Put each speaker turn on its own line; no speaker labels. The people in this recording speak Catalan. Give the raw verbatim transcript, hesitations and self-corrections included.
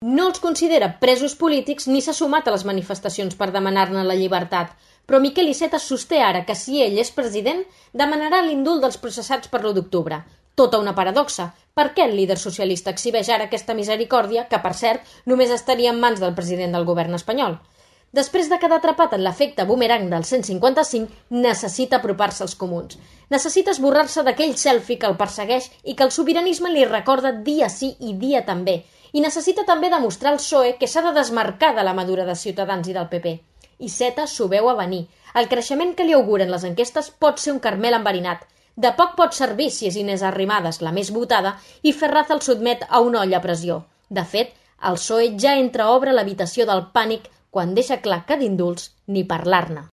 No els considera presos polítics ni s'ha sumat a les manifestacions per demanar-ne la llibertat, però Miquel Iceta sosté ara que si ell és president demanarà l'indult dels processats per l'u d'octubre. Tota una paradoxa. Per què el líder socialista exhibeix ara aquesta misericòrdia que, per cert, només estaria en mans del president del govern espanyol? Després de quedar atrapat en l'efecte boomerang del cent cinquanta-cinc, necessita apropar-se als comuns. Necessita esborrar-se d'aquell selfie que el persegueix i que el sobiranisme li recorda dia sí i dia també. I necessita també demostrar al P S O E que s'ha de desmarcar de la madura de Ciutadans i del P P. Iceta s'ho veu a venir. El creixement que li auguren les enquestes pot ser un carmel enverinat. De poc pot servir si és Inés Arrimadas la més votada i Ferraz el sotmet a una olla a pressió. De fet, el P S O E ja entreobre l'habitació del pànic quan deixa clar que d'indults ni parlar-ne.